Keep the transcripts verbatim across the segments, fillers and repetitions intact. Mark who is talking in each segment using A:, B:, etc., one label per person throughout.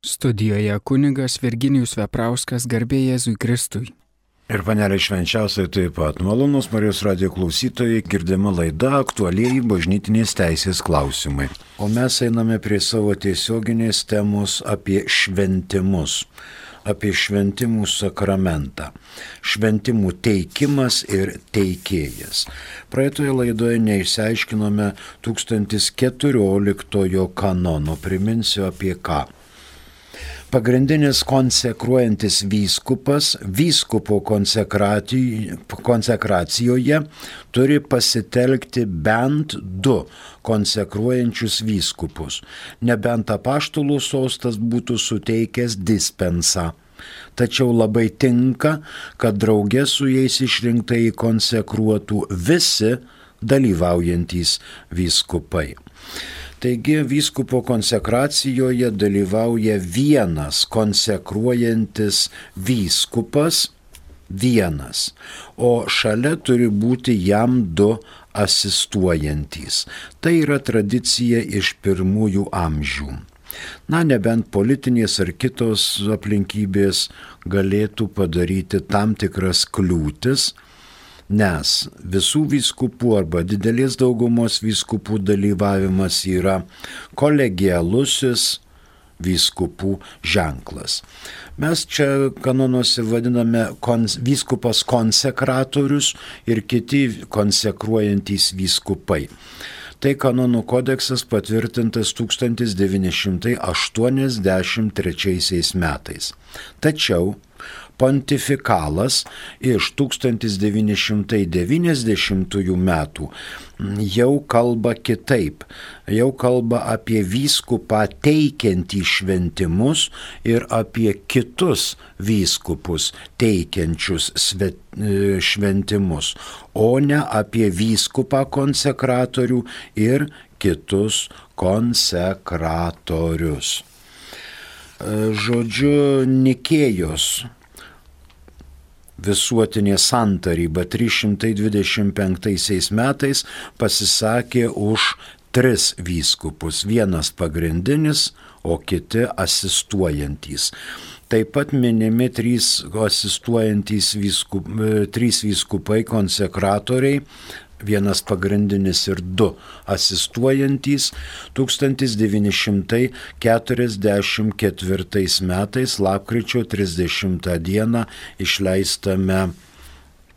A: Studijoje kunigas Virginijus Veprauskas, garbė Jėzui Kristui.
B: Ir panelė švenčiausiai taip pat. Malonus Marijos radijo klausytojai, girdima laida aktualieji bažnytinės teisės klausimai. O mes einame prie savo tiesioginės temos apie šventimus, apie šventimų sakramentą. Šventimų teikimas ir teikėjas. Praeitoje laidoje neišsiaiškinome tūkstantis keturioliktojo kanono. Priminsiu apie ką. Pagrindinis konsekruojantis vyskupas vyskupo konsekracijoje turi pasitelkti bent du konsekruojančius vyskupus, nebent apaštalų sostas būtų suteikęs dispensą. Tačiau labai tinka, kad drauge su jais išrinktai konsekruotų visi dalyvaujantys vyskupai. Taigi vyskupo konsekracijoje dalyvauja vienas konsekruojantis vyskupas, vienas, o šalia turi būti jam du asistuojantys. Tai yra tradicija iš pirmųjų amžių. Na, nebent politinės ar kitos aplinkybės galėtų padaryti tam tikras kliūtis, nes visų vyskupų arba didelės daugumos vyskupų dalyvavimas yra kolegialusis vyskupų ženklas. Mes čia kanonuose vadiname kons, vyskupas konsekratorius ir kiti konsekruojantys vyskupai. Tai kanonų kodeksas patvirtintas tūkstantis devyni šimtai aštuoniasdešimt trečiaisiais metais. Tačiau pontifikalas iš tūkstantis devyni šimtai devyniasdešimtųjų metų jau kalba kitaip, jau kalba apie vyskupą teikiantį šventimus ir apie kitus vyskupus teikiančius šventimus, o ne apie vyskupą konsekratorių ir kitus konsekratorius. Žodžiu, Nikėjos visuotinė santaryba trys šimtai dvidešimt penktaisiais metais pasisakė už tris vyskupus, vienas pagrindinis, o kiti asistuojantys. Taip pat minimi trys asistuojantys vyskup, trys vyskupai konsekratoriai, vienas pagrindinis ir du asistuojantys, tūkstantis devyni šimtai keturiasdešimt ketvirtais metais lapkričio trisdešimtą dieną išleistame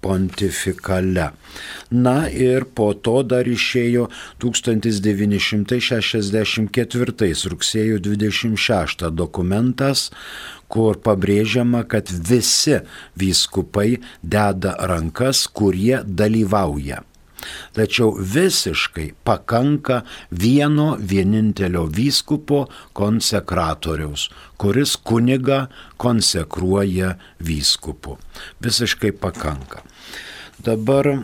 B: pontifikale. Na ir po to dar išėjo tūkstantis devyni šimtai šešiasdešimt ketvirtais rugsėjo dvidešimt šeštą dokumentas, kur pabrėžiama, kad visi vyskupai deda rankas, kurie dalyvauja. Tačiau visiškai pakanka vieno vienintelio vyskupo konsekratoriaus, kuris kunigą konsekruoja vyskupu. Visiškai pakanka. Dabar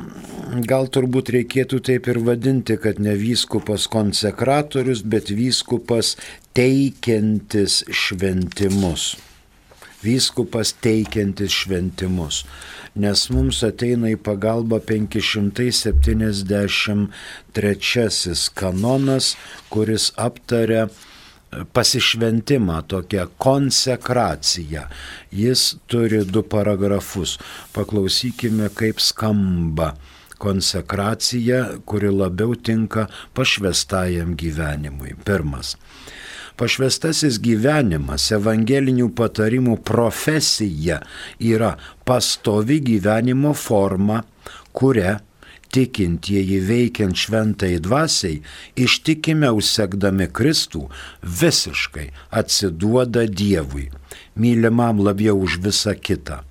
B: gal turbūt reikėtų taip ir vadinti, kad ne vyskupas konsekratorius, bet vyskupas teikiantis šventimus. Vyskupas teikiantis šventimus, nes mums ateina į pagalbą penki šimtai septyniasdešimt trečiasis kanonas, kuris aptaria pasišventimą, tokią konsekraciją. Jis turi du paragrafus. Paklausykime, kaip skamba konsekracija, kuri labiau tinka pašvęstajam gyvenimui. Pirmas. Pašvęstasis gyvenimas, evangelinių patarimų profesija yra pastovi gyvenimo forma, kuria tikintieji veikiant šventai dvasiai, ištikimiau sekdami Kristų, visiškai atsiduoda Dievui, mylimam labiau už visą kitą,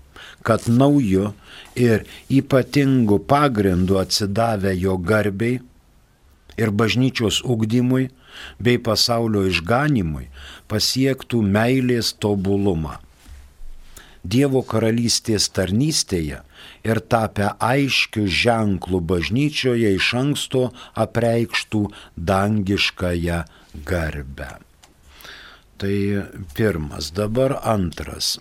B: kad nauju ir ypatingu pagrindu atsidavę jo garbei ir bažnyčios ugdymui bei pasaulio išganimui pasiektų meilės tobulumą. Dievo karalystės tarnystėje ir tapę aiškių ženklų bažnyčioje iš anksto apreikštų dangiškąją garbę. Tai pirmas, dabar antras.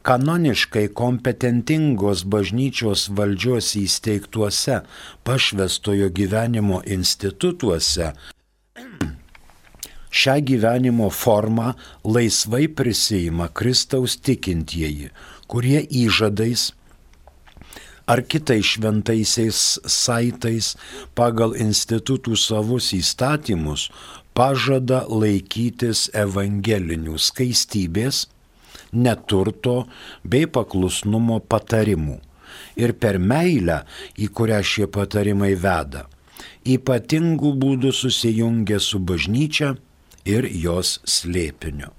B: Kanoniškai kompetentingos bažnyčios valdžios įsteigtuose pašvęstojo gyvenimo institutuose Šią gyvenimo formą laisvai prisima Kristaus tikintieji, kurie įžadais ar kitais šventaisiais saitais pagal institutų savus įstatymus pažada laikytis evangelinių skaistybės, neturto bei paklusnumo patarimų ir per meilę, į kurią šie patarimai veda, ypatingų būdų susijungia su bažnyčia ir jos slėpiniu.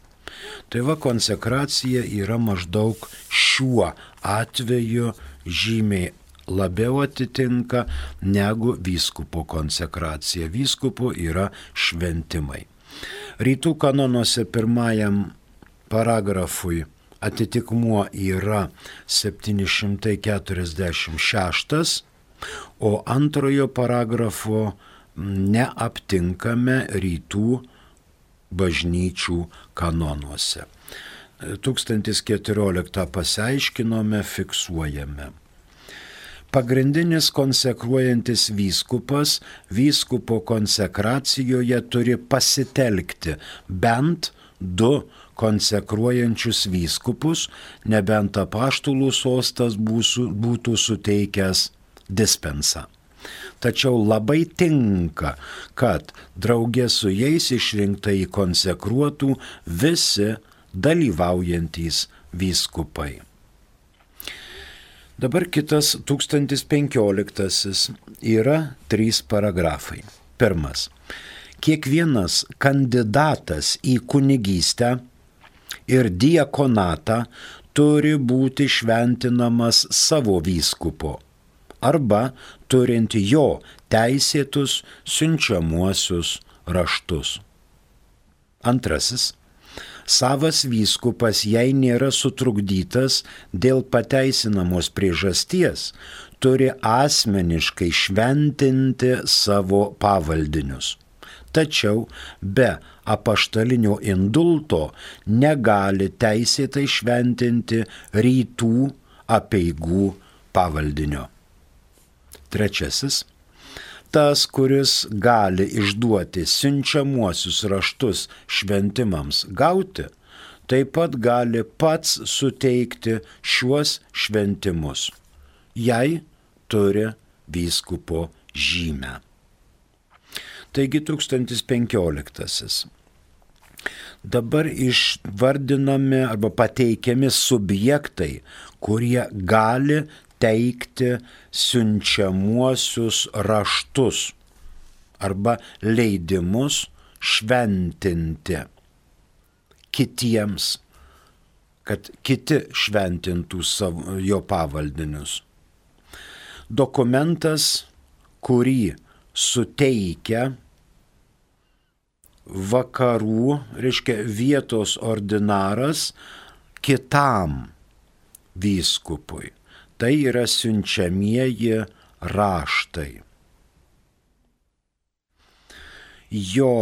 B: Tai va, konsekracija yra maždaug šiuo atveju žymiai labiau atitinka negu vyskupo konsekracija. Vyskupo yra šventimai. Rytų kanonuose pirmajam paragrafui atitikmuo yra septyni šimtai keturiasdešimt šeštas, o antrojo paragrafo neaptinkame rytų bažnyčių kanonuose. tūkstantis keturioliktą pasiaiškinome, fiksuojame. Pagrindinis konsekruojantis vyskupas vyskupo konsekracijoje turi pasitelkti bent du konsekruojančius vyskupus, nebent apaštalų sostas būtų suteikęs dispensą. Tačiau labai tinka, kad draugė su jais išrinktai konsekruotų visi dalyvaujantys vyskupai. Dabar kitas tūkstantis penkioliktasis yra trys paragrafai. Pirmas. Kiekvienas kandidatas į kunigystę ir diakonatą turi būti šventinamas savo vyskupo arba turint jo teisėtus siunčiamuosius raštus. Antrasis. Savas vyskupas, jei nėra sutrukdytas dėl pateisinamos priežasties, turi asmeniškai šventinti savo pavaldinius. Tačiau be apaštalinio indulto negali teisėtai šventinti rytų apeigų pavaldinio. Trečiasis. Tas, kuris gali išduoti siunčiamuosius raštus šventimams gauti, taip pat gali pats suteikti šiuos šventimus, jei turi vyskupo žymę. Taigi tūkstantis penkioliktasis. Dabar išvardinami arba pateikiami subjektai, kurie gali teikti siunčiamuosius raštus arba leidimus šventinti kitiems, kad kiti šventintų savo, jo pavaldinius. Dokumentas, kurį suteikia vakarų, reiškia vietos ordinaras kitam vyskupui. Tai yra siunčiamieji raštai. Jo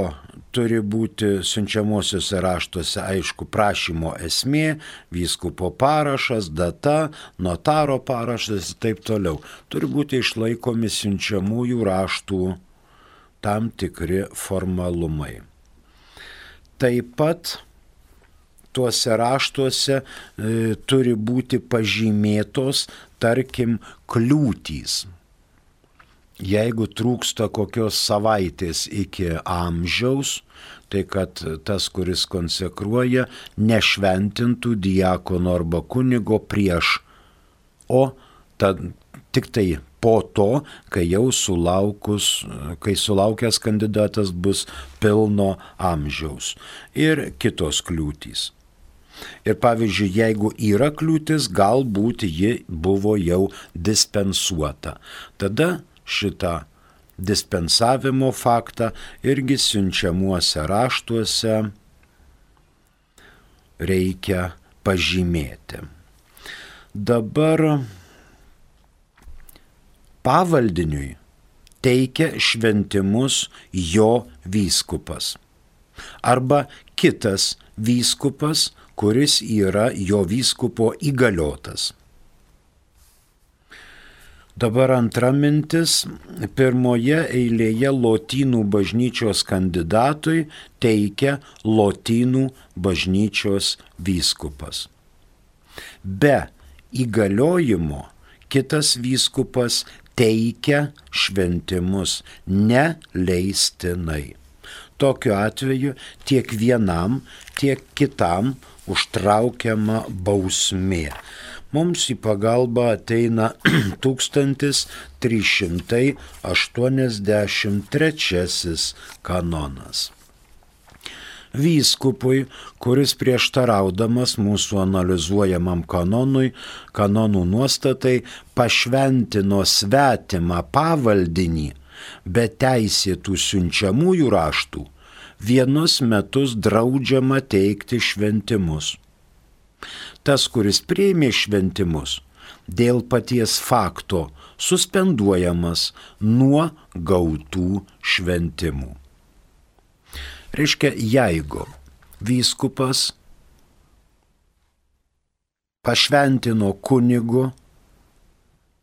B: turi būti siunčiamuosiuose raštuose, aišku, prašymo esmė, vyskupo parašas, data, notaro parašas ir taip toliau. Turi būti išlaikomi siunčiamųjų raštų tam tikri formalumai. Taip pat tuose raštuose e, turi būti pažymėtos, tarkim, kliūtys. Jeigu trūksta kokios savaitės iki amžiaus, tai kad tas, kuris konsekruoja, nešventintų diakono arba kunigo prieš, o tad, tik tai po to, kai jau sulaukus, kai sulaukęs kandidatas bus pilno amžiaus. Ir kitos kliūtys. Ir pavyzdžiui, jeigu yra kliūtis, galbūt ji buvo jau dispensuota. Tada šitą dispensavimo faktą irgi siunčiamuose raštuose reikia pažymėti. Dabar pavaldiniui teikia šventimus jo vyskupas arba kitas vyskupas, kuris yra jo vyskupo įgaliotas. Dabar antra mintis. Pirmoje eilėje Lotynų bažnyčios kandidatui teikia Lotynų bažnyčios vyskupas. Be įgaliojimo kitas vyskupas teikia šventimus neleistinai. Tokiu atveju tiek vienam, tiek kitam užtraukiama bausmė. Mums į pagalbą ateina tūkstantis trys šimtai aštuoniasdešimt trečiasis kanonas. Vyskupui, kuris prieštaraudamas mūsų analizuojamam kanonui, kanonų nuostatai, pašventino svetimą pavaldinį be teisėtų siunčiamųjų raštų, vienus metus draudžiama teikti šventimus. Tas, kuris priėmė šventimus, dėl paties fakto suspenduojamas nuo gautų šventimų. Reiškia, jeigu vyskupas pašventino kunigu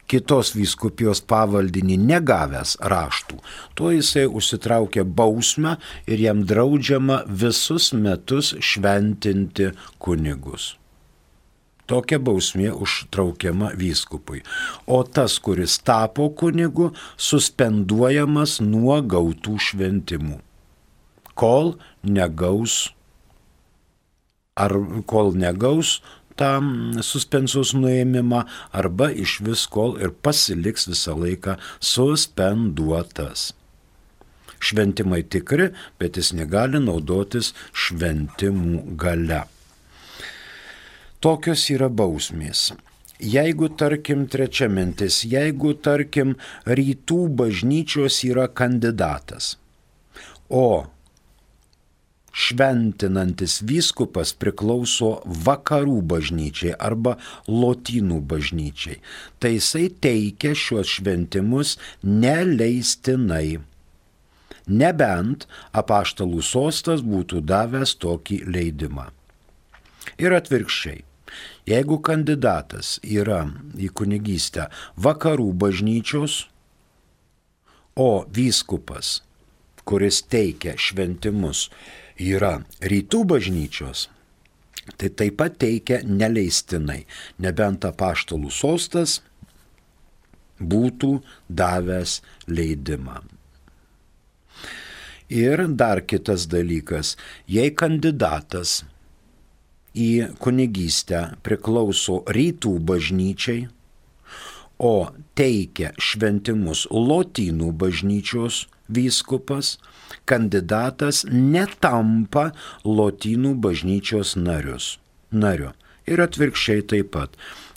B: kitos vyskupijos pavaldinį negavęs raštų, tuo jisai užsitraukia bausmę ir jam draudžiama visus metus šventinti kunigus. Tokia bausmė užtraukiama vyskupui. O tas, kuris tapo kunigu, suspenduojamas nuo gautų šventimų, kol negaus, ar kol negaus tą suspensijos nuėmimą, arba iš vis kol ir pasiliks visą laiką suspenduotas. Šventimai tikri, bet jis negali naudotis šventimų gale. Tokios yra bausmės. Jeigu, tarkim, trečia mintis, jeigu, tarkim, rytų bažnyčios yra kandidatas, o šventinantis vyskupas priklauso vakarų bažnyčiai arba lotynų bažnyčiai, tai jisai teikia šiuos šventimus neleistinai, nebent apaštalų sostas būtų davęs tokį leidimą. Ir atvirkščiai. Jeigu kandidatas yra į kunigystę vakarų bažnyčios, o vyskupas, kuris teikia šventimus, yra rytų bažnyčios, tai taip pat teikia neleistinai, nebent apaštalų sostas būtų davęs leidimą. Ir dar kitas dalykas, jei kandidatas į kunigystę priklauso rytų bažnyčiai, o teikia šventimus lotynų bažnyčios vyskupas, kandidatas netampa lotynų bažnyčios narius, nariu. Ir atvirkščiai taip pat.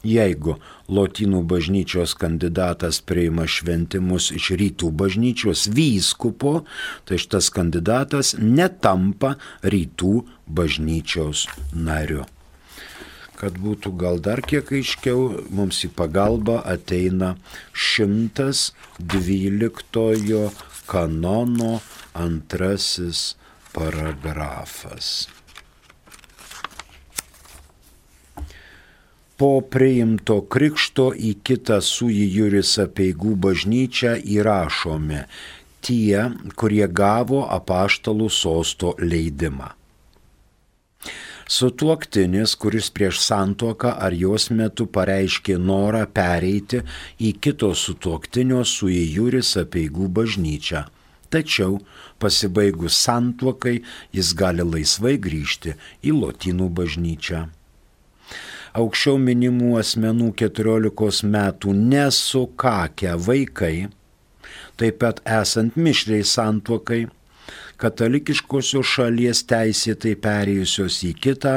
B: Jeigu lotynų bažnyčios kandidatas priima šventimus iš rytų bažnyčios vyskupo, tai šitas kandidatas netampa rytų bažnyčios nariu. Kad būtų gal dar kiek aiškiau, mums į pagalbą ateina šimtas dvyliktojo kanono antrasis paragrafas. Po priimto krikšto į kitą sui juris apeigų bažnyčią įrašomi tie, kurie gavo apaštalų sosto leidimą. Sutuoktinis, kuris prieš santuoką ar jos metu pareiškė norą pereiti į kito sutuoktinio sui juris apeigų bažnyčią. Tačiau pasibaigus santuokai jis gali laisvai grįžti į lotynų bažnyčią. Aukščiau minimų asmenų keturiolikos metų nesukakę vaikai, taip pat esant mišriai santuokai, katalikiškosios šalies teisėtai perėjusios į kitą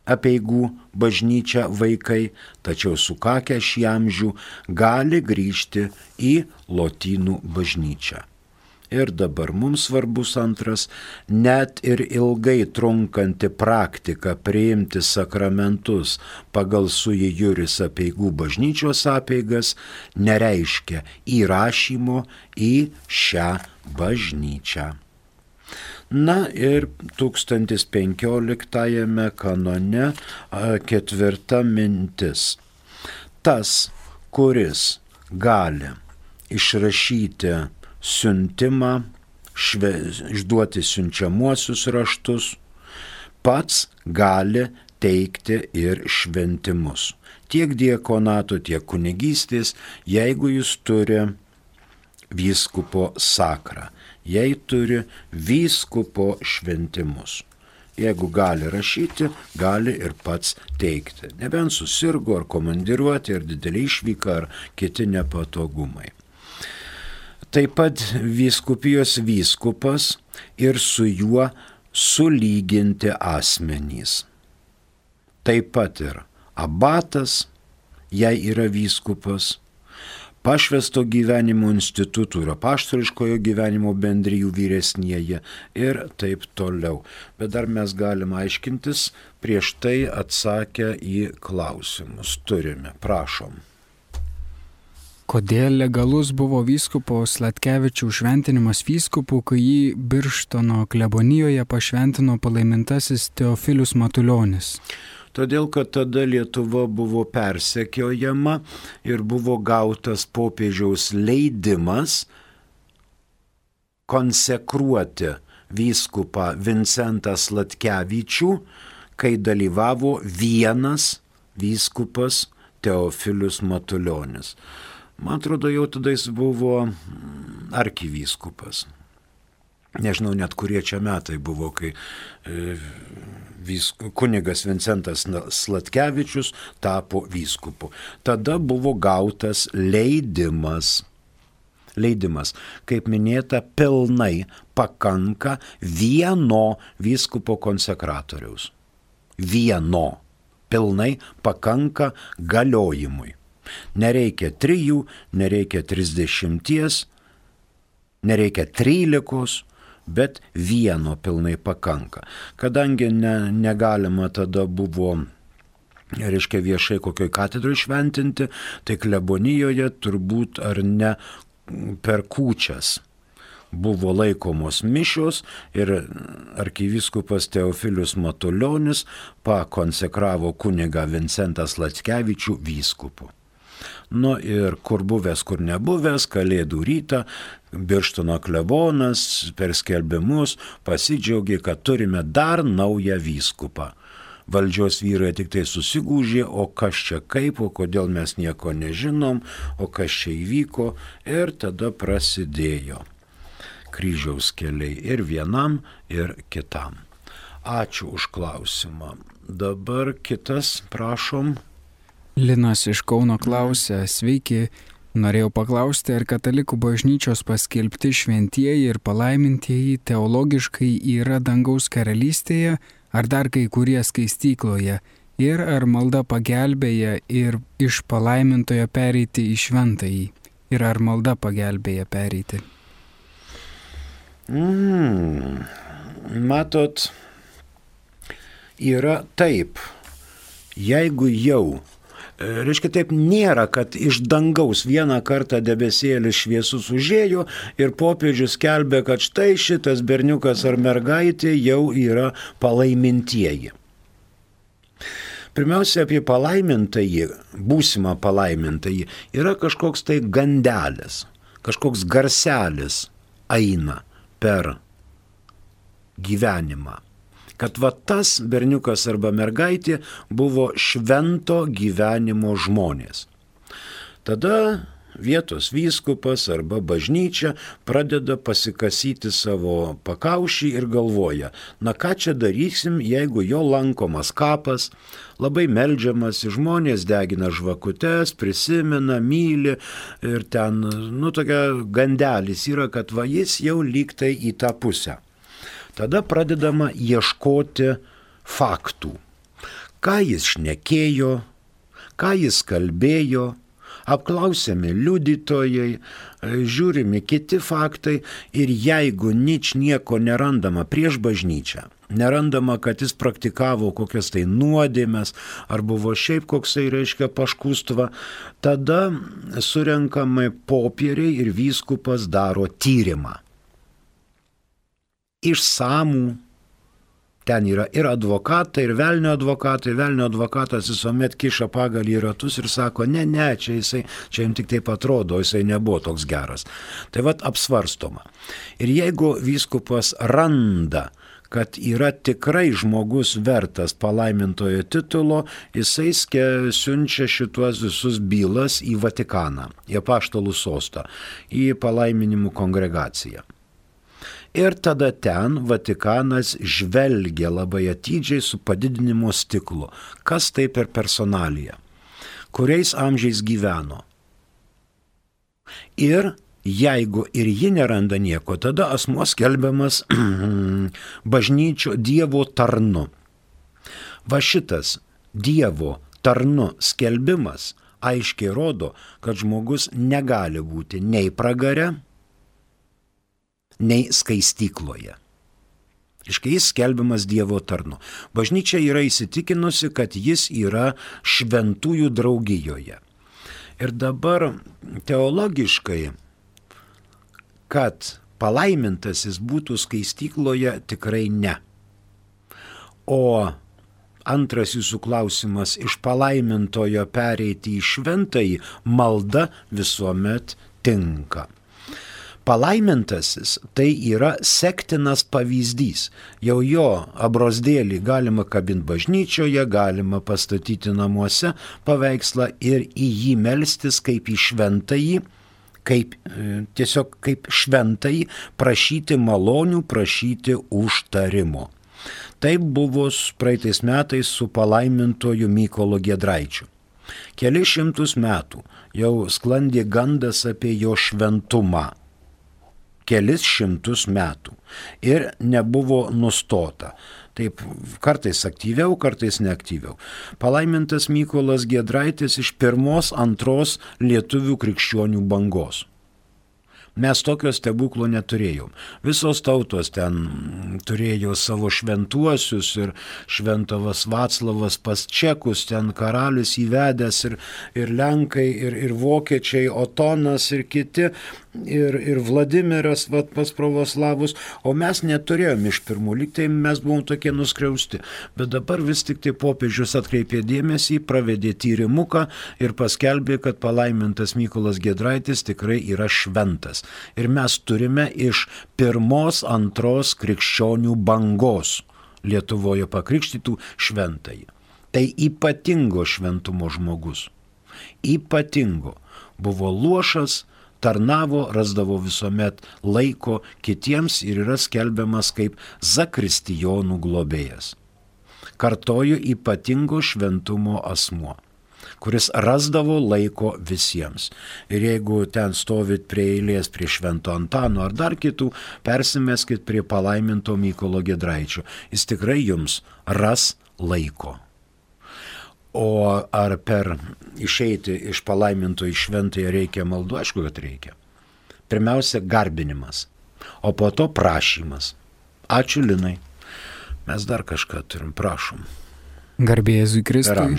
B: apeigų bažnyčią vaikai, tačiau sukakę šį amžių gali grįžti į lotynų bažnyčią. Ir dabar mums svarbus antras, net ir ilgai trunkanti praktika priimti sakramentus pagal sui juris apeigų bažnyčios apeigas nereiškia įrašymo į šią bažnyčią. Na ir tūkstantis penkioliktajame kanone ketvirta mintis. Tas, kuris gali išrašyti siuntimą, šve, išduoti siunčiamuosius raštus, pats gali teikti ir šventimus. Tiek diakonato, tiek kunigystės, jeigu jis turi vyskupo sakrą, jei turi vyskupo šventimus. Jeigu gali rašyti, gali ir pats teikti. Nebent susirgo ar komandiruoti, ar didelį išvyką, ar kiti nepatogumai. Taip pat vyskupijos vyskupas ir su juo sulyginti asmenys. Taip pat ir abatas, jei yra vyskupas, pašvęsto gyvenimo institutų ir apaštališkojo gyvenimo bendrijų vyresnieji ir taip toliau. Bet dar mes galime aiškintis, prieš tai atsakę į klausimus. Turime, prašom.
A: Kodėl legalus buvo vyskupo Sladkevičiaus šventinimas vyskupu, kai jį Birštono klebonijoje pašventino palaimintasis Teofilius Matulionis?
B: Todėl, kad tada Lietuva buvo persekiojama ir buvo gautas popiežiaus leidimas konsekruoti vyskupą Vincentą Sladkevičių, kai dalyvavo vienas vyskupas Teofilius Matulionis. Man atrodo, jau tada jis buvo arkivyskupas. Nežinau net kurie čia metai buvo, kai e, vysku, kunigas Vincentas Sladkevičius tapo vyskupu. Tada buvo gautas leidimas. Leidimas, kaip minėta, pilnai pakanka vieno vyskupo konsekratoriaus. Vieno. Pilnai pakanka galiojimui. Nereikia trijų, nereikia trisdešimties, nereikia trylikos, bet vieno pilnai pakanka. Kadangi ne, negalima tada buvo, reiškia, viešai kokioj katedroj šventinti, tai klebonijoje turbūt ar ne per kūčias buvo laikomos mišios ir arkivyskupas Teofilius Matulionis pakonsekravo kunigą Vincentą Sladkevičių vyskupu. Nu ir kur buvęs, kur nebuvęs, Kalėdų rytą Birštono klebonas per skelbimus pasidžiaugė, kad turime dar naują vyskupą. Valdžios vyrai tik tai susigūžė, o kas čia kaip, o kodėl mes nieko nežinom, o kas čia įvyko, ir tada prasidėjo kryžiaus keliai ir vienam, ir kitam. Ačiū už klausimą. Dabar kitas, prašom.
A: Linas iš Kauno klausia, sveiki, norėjau paklausti, ar katalikų bažnyčios paskelbti šventieji ir palaimintieji teologiškai yra dangaus karalystėje, ar dar kai kurie skaistykloje, ir ar malda pagelbėja ir iš palaimintojo pereiti į šventąjį, ir ar malda pagelbėja pereiti.
B: Mm, matot, yra taip, jeigu jau, reiškia taip, nėra, kad iš dangaus vieną kartą debesėlis šviesus užėjo ir popiežius skelbė, kad štai šitas berniukas ar mergaitė jau yra palaimintieji. Pirmiausia, apie palaimintąjį, būsimą palaimintąjį, yra kažkoks tai gandelis, kažkoks garselis eina per gyvenimą. Kad va tas berniukas arba mergaitė buvo švento gyvenimo žmonės. Tada vietos vyskupas arba bažnyčia pradeda pasikasyti savo pakaušį ir galvoja, na ką čia darysim, jeigu jo lankomas kapas, labai meldžiamas, žmonės degina žvakutes, prisimena, myli ir ten, nu, tokia gandelis yra, kad va jis jau lygtai į tą pusę. Tada pradedama ieškoti faktų. Ką jis šnekėjo, ką jis kalbėjo, apklausiami liudytojai, žiūrimi kiti faktai ir jeigu nič nieko nerandama prieš bažnyčią, nerandama, kad jis praktikavo kokias tai nuodėmes ar buvo šiaip koksai, reiškia, paškustva, tada surenkami popieriai ir vyskupas daro tyrimą. Išsamų, Ten yra ir advokatai, ir velnio advokatai. Velnio advokatas visuomet kiša pagalį į ratus ir sako, ne, ne, čia jisai, čia jums tik taip atrodo, jisai nebuvo toks geras. Tai vat apsvarstoma. Ir jeigu vyskupas randa, kad yra tikrai žmogus vertas palaimintojo titulo, jisai siunčia šituos visus bylas į Vatikaną, į apaštalų sostą, į palaiminimų kongregaciją. Ir tada ten Vatikanas žvelgia labai atidžiai su padidinimo stiklu, kas tai per personalija, kuriais amžiais gyveno. Ir jeigu ir ji neranda nieko, tada asmuo skelbiamas bažnyčio Dievo tarnu. Va šitas Dievo tarnu skelbimas aiškiai rodo, kad žmogus negali būti nei pragare, nei skaistykloje. Iškai jis skelbiamas Dievo tarnu. Bažnyčia yra įsitikinusi, kad jis yra šventųjų draugijoje. Ir dabar teologiškai, kad palaimintasis būtų skaistykloje, tikrai ne. O antras jūsų klausimas, iš palaimintojo pereiti į šventąjį, malda visuomet tinka. Palaimintasis tai yra sektinas pavyzdys. Jau jo abrozdėlį galima kabinti bažnyčioje, galima pastatyti namuose paveikslą ir į jį melstis kaip į šventąjį, kaip, tiesiog kaip šventąjį, prašyti malonių, prašyti užtarimo. Taip buvo praeitais metais su palaimintoju Mykolu Giedraičiu. Keli šimtus metų jau sklandė gandas apie jo šventumą. Kelis šimtus metų. Ir nebuvo nustota. Taip kartais aktyviau, kartais neaktyviau. Palaimintas Mykolas Giedraitis iš pirmos, antros lietuvių krikščionių bangos. Mes tokio stebuklo neturėjom. Visos tautos ten turėjo savo šventuosius ir šventavas Vaclavas pas čekus, ten karalius įvedęs ir, ir lenkai, ir, ir vokiečiai, Otonas ir kiti, ir, ir Vladimiras vat, pas pravoslavus, o mes neturėjom iš pirmų, lyg tai mes buvom tokie nuskriausti. Bet dabar vis tik tai popiežius atkreipė dėmesį, pravedė tyrimuką ir paskelbė, kad palaimintas Mykolas Giedraitis tikrai yra šventas. Ir mes turime iš pirmos, antros krikščionių bangos Lietuvoje pakrikštytų šventąjį. Tai ypatingo šventumo žmogus. Ypatingo. Buvo luošas, tarnavo, rasdavo visuomet laiko kitiems ir yra skelbiamas kaip zakristijonų globėjas. Kartoju, ypatingo šventumo asmuo, kuris rasdavo laiko visiems. Ir jeigu ten stovit prie eilės prie Švento Antano ar dar kitų, persimeskit prie palaiminto Mykolo Giedraičio. Jis tikrai jums ras laiko. O ar per išeiti iš palaiminto į šventąją reikia maldų? Aišku, kad reikia. Pirmiausia, garbinimas, o po to prašymas. Ačiū, Linai. Mes dar kažką turim, prašom.
A: Garbė Jėzui Kristui.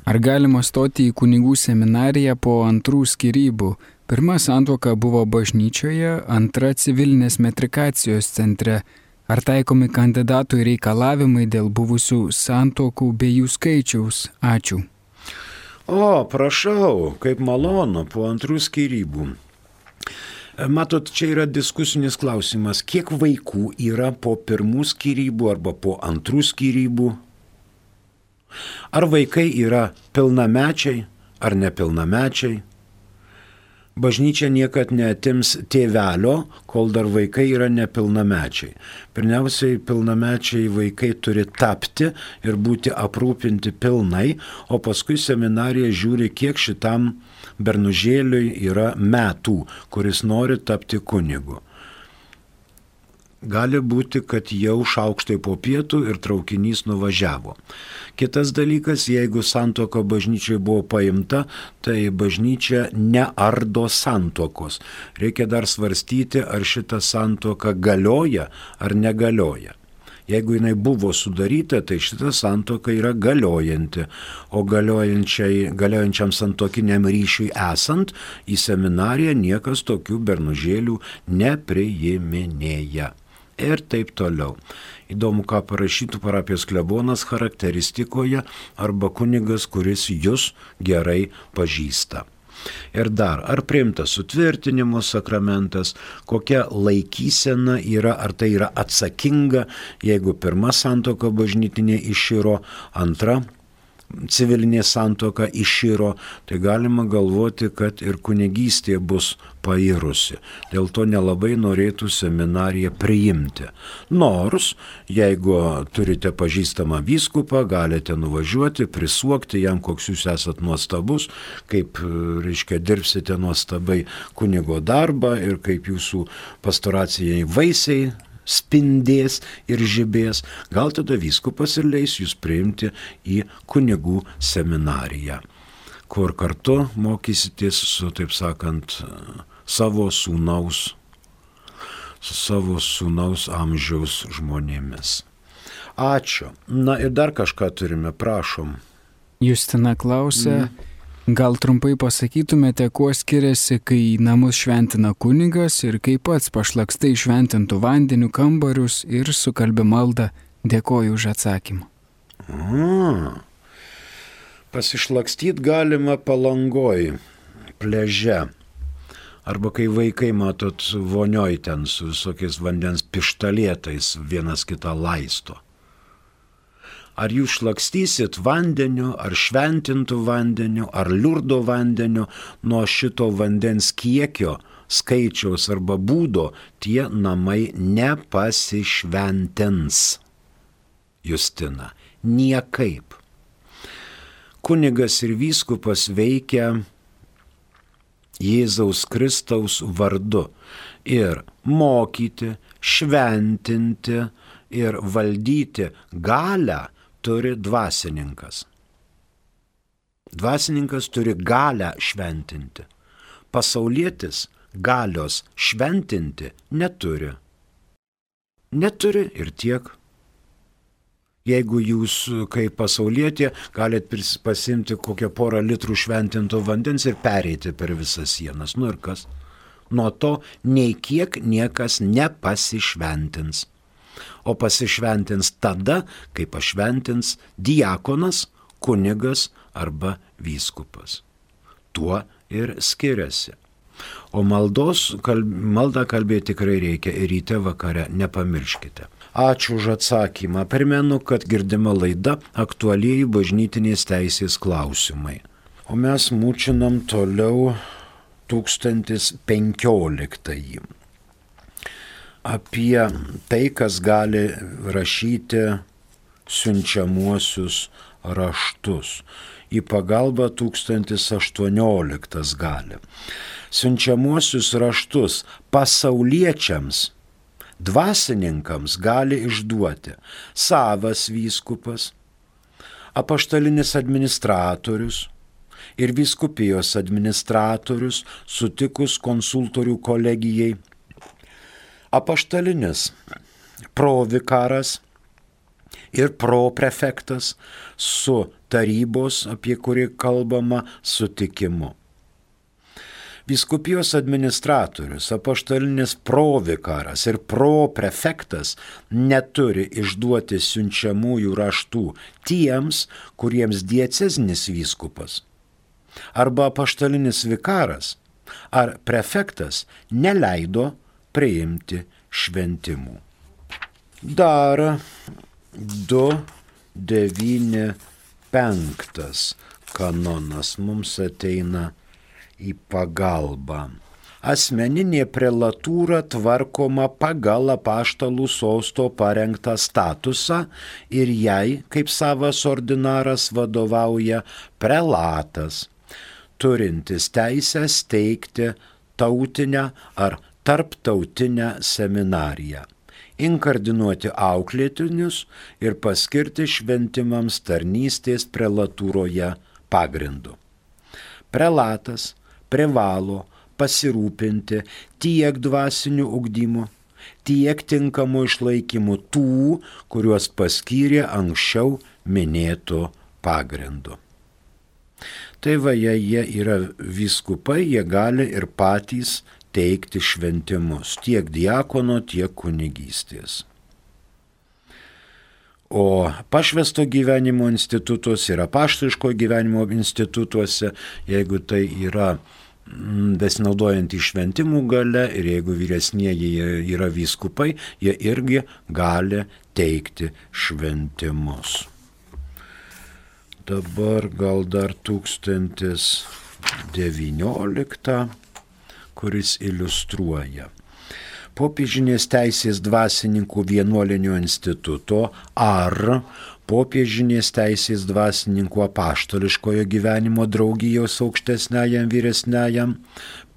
A: Ar galima stoti į kunigų seminariją po antrų skyrybų? Pirma santuoka buvo bažnyčioje, antra civilinės metrikacijos centre. Ar taikomi kandidatui reikalavimai dėl buvusių santuokų bei jų skaičiaus? Ačiū.
B: O, prašau, kaip malonu, po antrų skyrybų. Matot, čia yra diskusinis klausimas, kiek vaikų yra po pirmų skyrybų arba po antrų skyrybų? Ar vaikai yra pilnamečiai ar nepilnamečiai? Bažnyčia niekad neatims tėvelio, kol dar vaikai yra nepilnamečiai. Pirmiausiai, pilnamečiai vaikai turi tapti ir būti aprūpinti pilnai, o paskui seminarija žiūri, kiek šitam bernužėliui yra metų, kuris nori tapti kunigu. Gali būti, kad jau šaukštai po pietų ir traukinys nuvažiavo. Kitas dalykas, jeigu santuoka bažnyčiai buvo paimta, tai bažnyčia neardo santuokos. Reikia dar svarstyti, ar šita santuoka galioja ar negalioja. Jeigu jinai buvo sudaryta, tai šita santuoka yra galiojanti, o galiojančiam santuokiniam ryšiui esant, į seminariją niekas tokių bernužėlių nepriiminėja. Ir taip toliau. Įdomu, ką parašytų parapijos klebonas charakteristikoje arba kunigas, kuris jūs gerai pažįsta. Ir dar, ar priimtas sutvirtinimo sakramentas, kokia laikysena yra, ar tai yra atsakinga, jeigu pirma santuoka bažnytinė iširo, antra civilinė santuoka iširo, tai galima galvoti, kad ir kunigystė bus pairusi. Dėl to nelabai norėtų seminariją priimti. Nors, jeigu turite pažįstamą vyskupą, galite nuvažiuoti, prisuokti jam, koks jūs esat nuostabus, kaip, reiškia, dirbsite nuostabai kunigo darbą ir kaip jūsų pastoracijai vaisiai spindės ir žibės, gal tada vyskupas ir leis jūs priimti į kunigų seminariją, kur kartu mokysitės su, taip sakant, savo sūnaus, su savo sūnaus amžiaus žmonėmis. Ačiū. Na ir dar kažką turime, prašom.
A: Justina klausia, mm. gal trumpai pasakytumėte, kuo skiriasi, kai namus šventina kunigas ir kai pats pašlakstai šventintų vandeniu kambarius ir sukalbi maldą. Dėkoju už atsakymą.
B: A, pasišlakstyt galima Palangoj, pliaže. Arba kai vaikai, matot, vonioj ten su visokiais vandens pištalėtais vienas kitą laisto. Ar jūs šlakstysit vandeniu, ar šventintų vandeniu, ar liurdo vandeniu, nuo šito vandens kiekio, skaičiaus arba būdo, tie namai nepasišventins. Justina, niekaip. Kunigas ir vyskupas veikia Jėzaus Kristaus vardu ir mokyti, šventinti ir valdyti galią turi dvasininkas. Dvasininkas turi galią šventinti. Pasaulietis galios šventinti neturi. Neturi ir tiek. Jeigu jūs, kaip pasaulietė, galite pasimti kokią porą litrų šventinto vandens ir pereiti per visas sienas. Nu ir kas? Nuo to nei kiek niekas nepasišventins. O pasišventins tada, kai pašventins diakonas, kunigas arba vyskupas. Tuo ir skiriasi. O maldos, kalb, maldą kalbėti tikrai reikia ir ryte vakare, nepamirškite. Ačiū už atsakymą. Primenu, kad girdima laida aktualieji bažnytinės teisės klausimai. O mes mūčinam toliau tūkstantis penkioliktąjį. Apie tai, kas gali rašyti siunčiamuosius raštus. Į pagalbą tūkstantis aštuonioliktas gali. Siunčiamuosius raštus pasauliečiams, dvasininkams gali išduoti savas vyskupas, apaštalinis administratorius ir vyskupijos administratorius sutikus konsultorių kolegijai, apaštalinis provikaras ir proprefektas su tarybos, apie kurį kalbama, sutikimu. Vyskupijos administratorius, apaštalinis provikaras ir proprefektas neturi išduoti siunčiamųjų raštų tiems, kuriems diecezinis vyskupas arba apaštalinis vikaras ar prefektas neleido priimti šventimų. Dar du devyni penktas kanonas mums ateina į pagalbą. Asmeninė prelatūra tvarkoma pagal apaštalų sosto parengtą statusą ir jai, kaip savas ordinaras, vadovauja prelatas, turintis teisę steigti tautinę ar tarptautinę seminariją, inkardinuoti auklėtinius ir paskirti šventimams tarnystės prelatūroje pagrindu. Prelatas privalo pasirūpinti tiek dvasiniu ugdymu, tiek tinkamu išlaikymu tų, kuriuos paskyrė anksčiau minėtų pagrindu. Tai va, jei jie yra vyskupai, jie gali ir patys teikti šventimus, tiek diakono, tiek kunigystės. O pašvęsto gyvenimo institutuose ir apaštališko gyvenimo institutuose, jeigu tai yra besinaudojant šventimų gale ir jeigu vyresnieji yra vyskupai, jie irgi gali teikti šventimus. Dabar gal dar tūkstantis devynioliktą, kuris iliustruoja. Popiežinės teisės dvasininkų vienuolinio instituto ar popiežinės teisės dvasininkų apaštališkojo gyvenimo draugijos aukštesniajam vyresniajam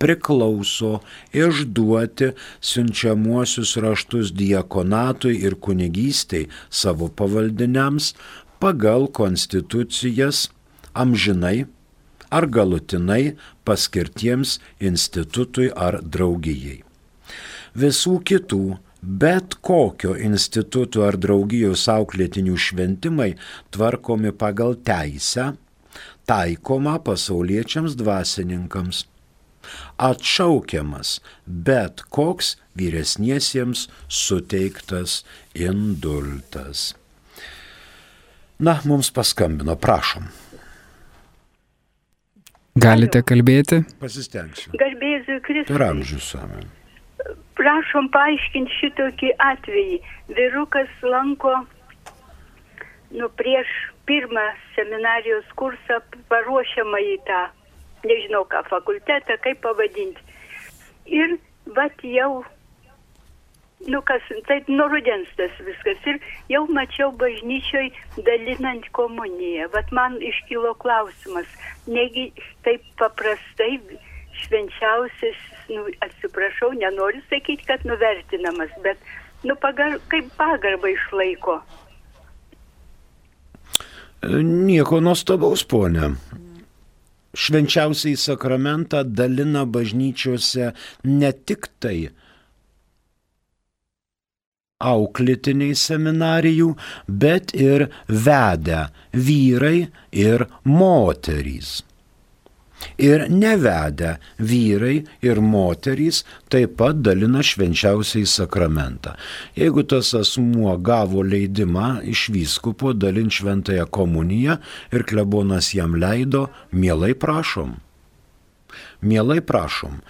B: priklauso išduoti siunčiamuosius raštus diakonatui ir kunigystei savo pavaldiniams pagal konstitucijas amžinai ar galutinai paskirtiems institutui ar draugijai. Visų kitų, bet kokio instituto ar draugijos auklėtinių šventimai tvarkomi pagal teisę, taikoma pasauliečiams dvasininkams. Atšaukiamas bet koks vyresniesiems suteiktas indultas. Na, mums paskambino, prašom.
A: Galite kalbėti?
B: Pasistengsiu.
C: Garbėsiu Kristui.
B: Per amžius, amen.
C: Prašom paaiškinti šitokį atvejį. Vyrukas lanko nu, prieš pirmą seminarijos kursą paruošiamą į tą, nežinau ką, fakultetą, kaip pavadinti. Ir vat jau, nu kas, taip nuo rudens tas viskas. Ir jau mačiau bažnyčioj dalinant komuniją. Vat man iškilo klausimas, negi taip paprastai švenčiausias, nu, atsiprašau, nenoriu sakyti, kad nuvertinamas, bet nu, pagar, kaip pagarbą išlaiko.
B: Nieko nuostabaus, ponė. Švenčiausiai sakramentą dalina bažnyčiose ne tik tai auklėtiniai seminarijų, bet ir vedę vyrai ir moterys. Ir nevedę vyrai ir moterys taip pat dalina švenčiausiai sakramentą. Jeigu tas asmuo gavo leidimą iš vyskupo dalinti šventąją komuniją ir klebonas jam leido, mielai prašom. Mielai prašom.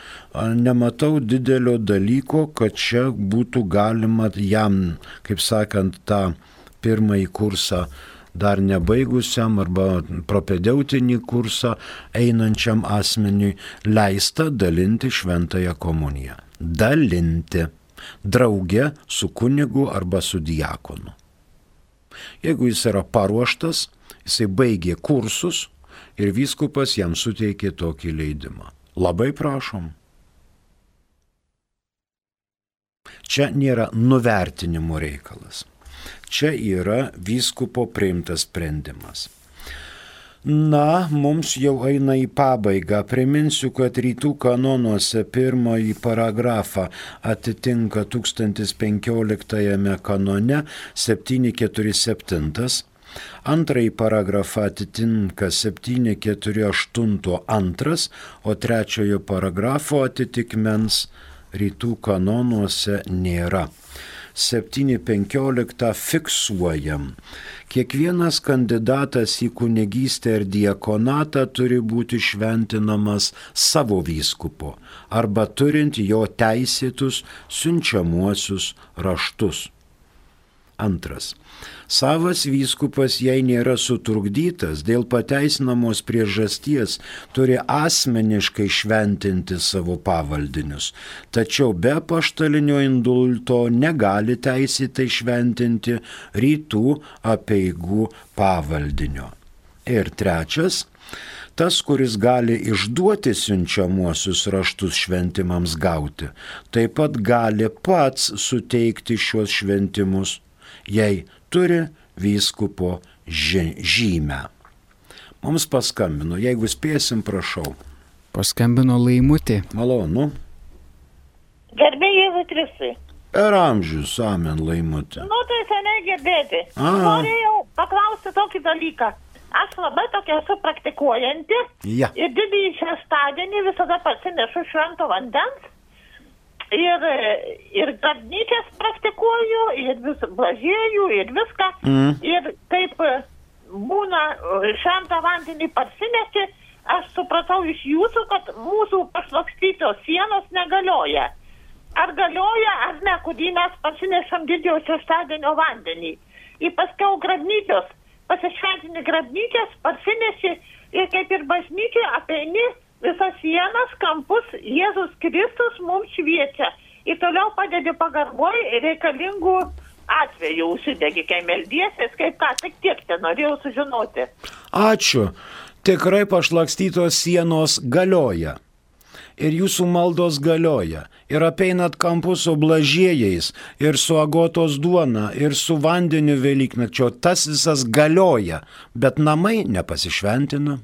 B: Nematau didelio dalyko, kad čia būtų galima jam, kaip sakant, tą pirmąjį kursą dar nebaigusiam arba propedeutinį kursą einančiam asmeniui leista dalinti šventąją komuniją. Dalinti drauge su kunigu arba su diakonu. Jeigu jis yra paruoštas, jisai baigė kursus ir vyskupas jam suteikė tokį leidimą. Labai prašom. Čia nėra nuvertinimo reikalas. Čia yra vyskupo priimtas sprendimas. Na, mums jau eina į pabaigą. Priminsiu, kad rytų kanonuose pirmąjį paragrafą atitinka tūkstantis penkioliktajame kanone septyni keturi septyni, antrąjį paragrafą atitinka septyni keturi aštuoni antras, o trečiojo paragrafo atitikmens rytų kanonuose nėra. septyni penkiolika fiksuojam. Kiekvienas kandidatas į kunigystę ir diakonatą turi būti šventinamas savo vyskupo arba turint jo teisėtus siunčiamuosius raštus. Antras. Savas vyskupas, jei nėra sutrukdytas, dėl pateisinamos priežasties turi asmeniškai šventinti savo pavaldinius, tačiau be apaštalinio indulto negali teisėtai šventinti rytų apeigų pavaldinio. Ir trečias. Tas, kuris gali išduoti siunčiamuosius raštus šventimams gauti, taip pat gali pats suteikti šios šventimus, jei turi vyskupo žymę. Mums paskambino, jeigu spėsim, prašau.
A: Paskambino Laimutė.
B: Malonu.
D: Garbė Jėzui Kristui.
B: Per amžius, amen, Laimutė.
D: Nu, tai seniai girdėti.
B: A.
D: Norėjau paklausti tokį dalyką. Aš labai tokia esu praktikuojanti.
B: Ja.
D: Ir didįjį šeštadienį visada parsinešu švento vandens. ir, ir grabnyčias praktikuoju, ir vis blažėjų, ir viską. Mm. Ir kaip būna šventą vandenį parsinešti, aš supratau iš jūsų, kad mūsų pašlakstytos sienos negalioja. Ar galioja, ar ne, kurį mes parsinešam didžiojo šeštadienio vandenį. Ir paskiau grabnyčios, pasišventini grabnyčias, parsineši ir kaip ir bažnyčiai apeini visas sienas, kampus, Jėzus Kristus mums šviečia. Ir toliau padedi pagarboj reikalingų atvejų, užsidegi, kai meldiesies, kaip ką, tik tiek te norėjau sužinoti.
B: Ačiū. Tikrai pašlakstytos sienos galioja. Ir jūsų maldos galioja. Ir apeinat kampus su blažėjais, ir su agotos duona, ir su vandeniu Velyknakčio. Tas visas galioja, bet namai nepasišventina.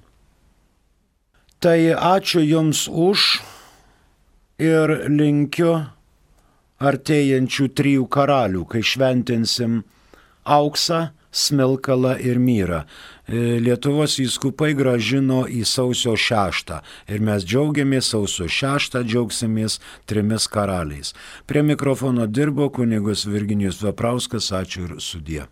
B: Tai ačiū Jums už ir linkiu artėjančių trijų karalių, kai šventinsim auksą, smilkalą ir myrą. Lietuvos vyskupai grąžino į sausio šeštą ir mes džiaugiamės sausio šeštą, džiaugsimės trimis karaliais. Prie mikrofono dirbo kunigas Virginijus Veprauskas, ačiū ir sudie.